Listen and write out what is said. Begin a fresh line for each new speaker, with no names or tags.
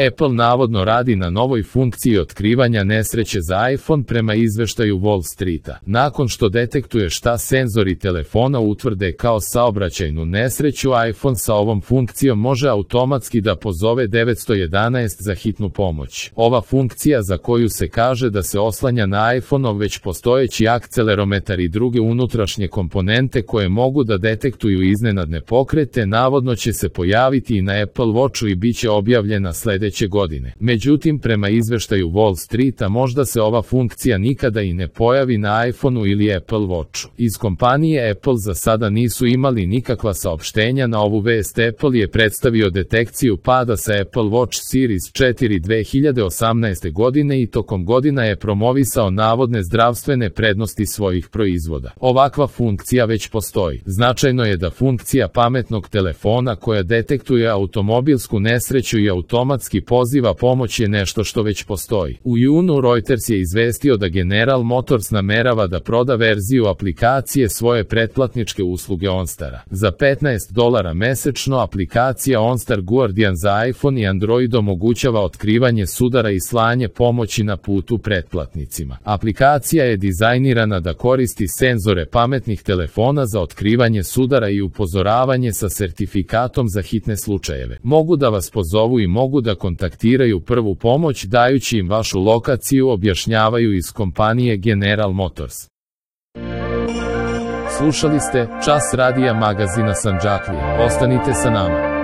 Apple navodno radi na novoj funkciji otkrivanja nesreće za iPhone prema izveštaju Wall Streeta. Nakon što detektuje šta senzori telefona utvrde kao saobraćajnu nesreću, iPhone sa ovom funkcijom može automatski da pozove 911 za hitnu pomoć. Ova funkcija, za koju se kaže da se oslanja na iPhone-ov već postojeći akcelerometar i druge unutrašnje komponente koje mogu da detektuju iznenadne pokrete, navodno će se pojaviti i na Apple Watchu i bit će objavljena sledeće godine. Međutim, prema izveštaju Wall Streeta, možda se ova funkcija nikada i ne pojavi na iPhoneu ili Apple Watchu. Iz kompanije Apple za sada nisu imali nikakva saopštenja na ovu vest. Apple je predstavio detekciju pada sa Apple Watch Series 4 2018. godine i tokom godina je promovisao navodne zdravstvene prednosti svojih proizvoda. Ovakva funkcija već postoji. Značajno je da funkcija pametnog telefona koja detektuje automobilsku nesreću i automatski poziva pomoć je nešto što već postoji. U junu Reuters je izvestio da General Motors namerava da proda verziju aplikacije svoje pretplatničke usluge OnStara. Za $15 mesečno aplikacija OnStar Guardian za iPhone i Android omogućava otkrivanje sudara i slanje pomoći na putu pretplatnicima. Aplikacija je dizajnirana da koristi senzore pametnih telefona za otkrivanje sudara i upozoravanje sa sertifikatom za hitne slučajeve. Mogu da vas pozovu i mogu da kontaktiraju prvu pomoć dajući im vašu lokaciju, objašnjavaju iz kompanije General Motors. Slušali ste Čas radija magazina Sandžaklije. Ostanite sa nama.